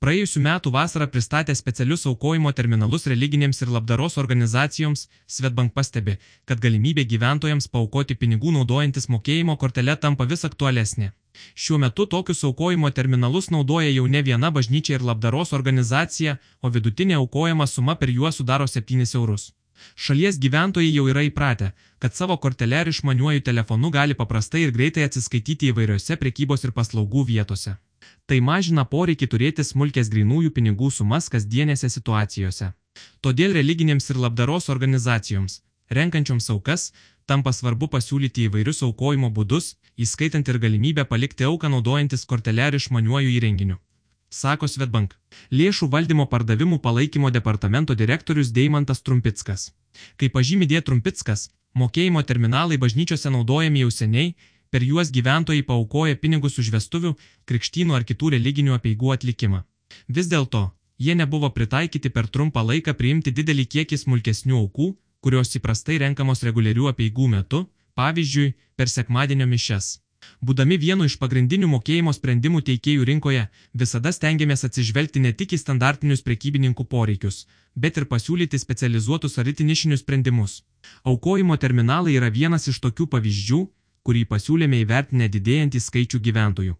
Praėjusių metų vasarą pristatė specialius aukojimo terminalus religinėms ir labdaros organizacijoms, Swedbank pastebi, kad galimybė gyventojams paaukoti pinigų naudojantis mokėjimo kortele tampa vis aktualesnė. Šiuo metu tokius aukojimo terminalus naudoja jau ne viena bažnyčia ir labdaros organizacija, o vidutinė aukojama suma per juos sudaro 7 eurus. Šalies gyventojai jau yra įpratę, kad savo kortele ar išmaniuoju telefonu gali paprastai ir greitai atsiskaityti įvairiose prekybos ir paslaugų vietose. Tai mažina poreikį turėti smulkės grynųjų pinigų sumas kasdienėse situacijose. Todėl religinėms ir labdaros organizacijoms, renkančioms aukas, tampa svarbu pasiūlyti įvairius aukojimo būdus, įskaitant ir galimybę palikti auką naudojantis kortele ar išmaniuoju įrenginiu, sako Swedbank. Lėšų valdymo pardavimų palaikymo departamento direktorius Deimantas Trumpickas. Kaip pažymi D. Trumpickas, mokėjimo terminalai bažnyčiose naudojami jau seniai, per juos gyventojai paaukoja pinigus už vestuvių, krikštynų ar kitų religinių apeigų atlikimą. Vis dėlto, jie nebuvo pritaikyti per trumpą laiką priimti didelį kiekį smulkesnių aukų, kurios įprastai renkamos reguliarių apeigų metu, pavyzdžiui, per sekmadienio mišias. Būdami vienu iš pagrindinių mokėjimo sprendimų teikėjų rinkoje, visada stengiamės atsižvelgti ne tik į standartinius prekybininkų poreikius, bet ir pasiūlyti specializuotus ar itin nišinius sprendimus. Aukojimo terminalai yra vienas iš tokių pavyzdžių, kurį pasiūlėme įvertinę didėjantį skaičių gyventojų,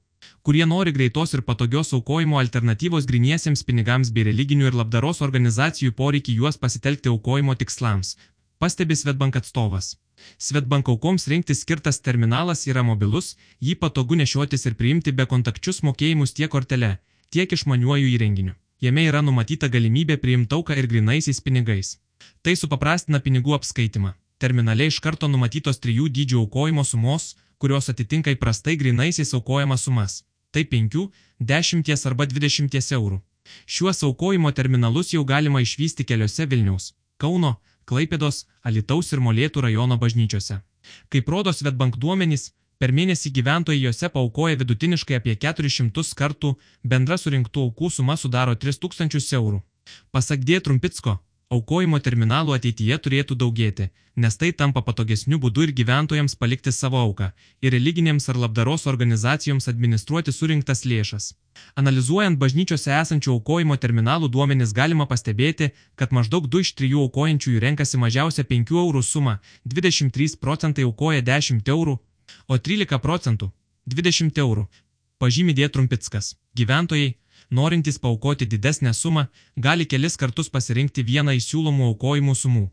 kurie nori greitos ir patogios aukojimo alternatyvos gryniesiems pinigams bei religinių ir labdaros organizacijų poreikį juos pasitelkti aukojimo tikslams, pastebi Swedbank atstovas. Swedbank aukoms rinktis skirtas terminalas yra mobilus, jį patogu nešiotis ir priimti be kontakčius mokėjimus tiek kortele, tiek išmaniuoju įrenginiu. Jame yra numatyta galimybė priimti auką ir grynaisiais pinigais. Tai supaprastina pinigų apskaitimą. Terminale iš karto numatytos 3 dydžių aukojimo sumos, kurios atitinka įprastai grynaisiais aukojamas sumas. Tai 5, 10 arba 20 eurų. Šiuos aukojimo terminalus jau galima išvysti keliose Vilniaus, Kauno, Klaipėdos, Alytaus ir Molėtų rajono bažnyčiose. Kaip rodo Swedbank duomenys, per mėnesį gyventojai juose paaukoja vidutiniškai apie 400 kartų, bendra surinktų aukų suma sudaro 3000 eurų. Pasak D. Trumpicko, aukojimo terminalų ateityje turėtų daugėti, nes tai tampa patogesniu būdu ir gyventojams palikti savo auką, ir religinėms ar labdaros organizacijoms administruoti surinktas lėšas. Analizuojant bažnyčiose esančių aukojimo terminalų duomenis galima pastebėti, kad maždaug 2 iš 3 aukojančiųjų renkasi mažiausia 5 eurų sumą, 23% aukoja 10 eurų, o 13% 20 eurų. Pažymi D. Trumpickas. Gyventojai, norintys paaukoti didesnę sumą, gali kelis kartus pasirinkti vieną iš siūlomų aukojimų sumų.